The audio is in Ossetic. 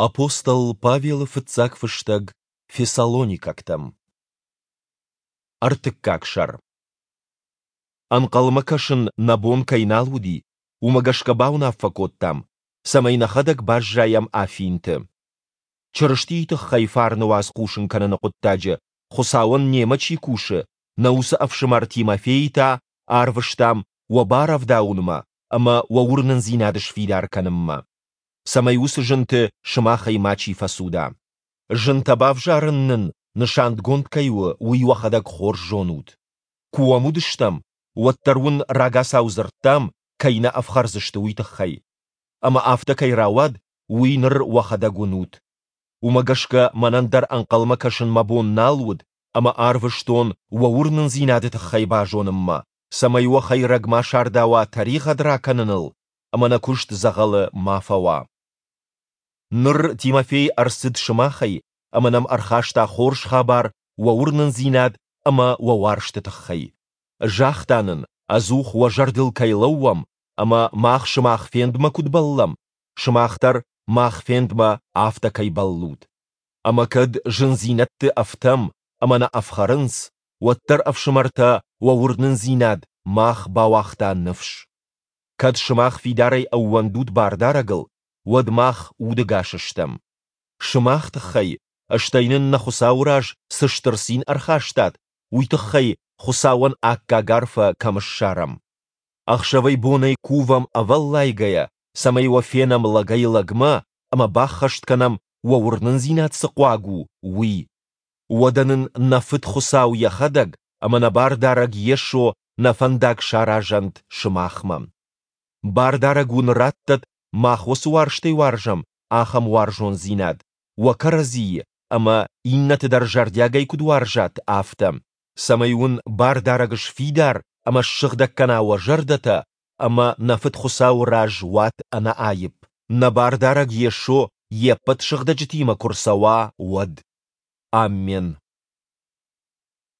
Апостол Павелы фыццаг фыстӕг Фессалоникӕгтӕм. Ӕртыккаг сӕр. Ӕнхъӕлмӕ кӕсын нӕ бон кӕй нал уыди, уымӕ гӕсгӕ бауынаффӕ кодтам, цӕмӕй нӕхӕдӕг баззайӕм Афинты. Чырыстийы тыххӕй фарны уац хъусын кӕныны хъуыддаджы Хуыцауӕн немӕ чи кусы, нӕ уыцы ӕфсымӕр Тимофейы та арвыстам уӕ барӕвдауынмӕ ӕмӕ уӕ уырнындзинад сфидар кӕнынмӕ, цӕмӕй уыцы зынты сымахӕй мачи фӕцуда. Зынтӕ бавзарын нын нысангонд кӕй у, уый уӕхӕдӕг хорз зонут. Куы уӕм уыдыстӕм, уӕд дӕр уын рагацау дзырдтам, кӕй нӕ ӕфхӕрдзысты, уый тыххӕй. Ӕмӕ афтӕ кӕй рауад, уый ныр уӕхӕдӕг уынут. Уымӕ гӕсгӕ мӕнӕн дӕр ӕнхъӕлмӕ кӕсын мӕ бон нал уыд ӕмӕ арвыстон уӕ уырнындзинады тыххӕй базонынмӕ, цӕмӕй уӕ хӕйрӕг ма сардауа тӕригъӕд ракӕныныл ӕмӕ нӕ куыст дзӕгъӕлы ма фӕуа. Ныр Тимофей ӕрцыд сымахӕй ӕмӕ нӕм ӕрхаста хорз хабар уӕ уырнындзинад ӕмӕ уӕ уарзты тыххӕй. Загъта нын, ӕдзух уӕ зӕрдыл кӕй лӕууӕм ӕмӕ мах сымах фендмӕ куыд бӕллӕм, сымах дӕр мах фендмӕ афтӕ кӕй бӕллут. Ӕмӕ кӕд зындзинӕдты ӕфтӕм ӕмӕ нӕ ӕфхӕрынц, уӕддӕр, ӕфсымӕртӕ, уӕ уырнындзинад мах бауагъта ныфс. Кӕд сымах фидарӕй ӕууӕндут Бардарӕгыл, уӕд мах удӕгас стӕм. Сымах тыххӕй, стӕй нын нӕ Хуыцауы раз цы стыр цин ӕрхастат, уый тыххӕй Хуыцауӕн аккаг арфӕ кӕм ссарӕм. Ӕхсӕвӕй-бонӕй кувӕм ӕвӕллайгӕйӕ, цӕмӕй уӕ фенӕм лӕгӕй-лӕгмӕ ӕмӕ баххӕст кӕнӕм, уӕ уырнындзинад цы хъуаг у, уый. Уӕдӕ нын нӕ Фыд Хуыцау йӕхӕдӕг ӕмӕ нӕ Бардарӕг Йесо нӕ фӕндаг саразӕнт сымахмӕ. Бардарӕг уын раттӕд, мах уӕ цы уарзтӕй уарзӕм, ахӕм уарзондзинад, уӕ кӕрӕдзийы ӕмӕ иннӕты дӕр зӕрдиагӕй куыд уарзат, афтӕ, цӕмӕй уын Бардарӕг сфидар ӕмӕ ссыгъдӕг кӕна уӕ зӕрдӕтӕ ӕмӕ нӕ Фыд Хуыцауы раз уат ӕнӕаипп, нӕ Бардарӕг Йесо йе ппӕт сыгъдӕджытимӕ куы рцӕуа, уӕд. Аммен.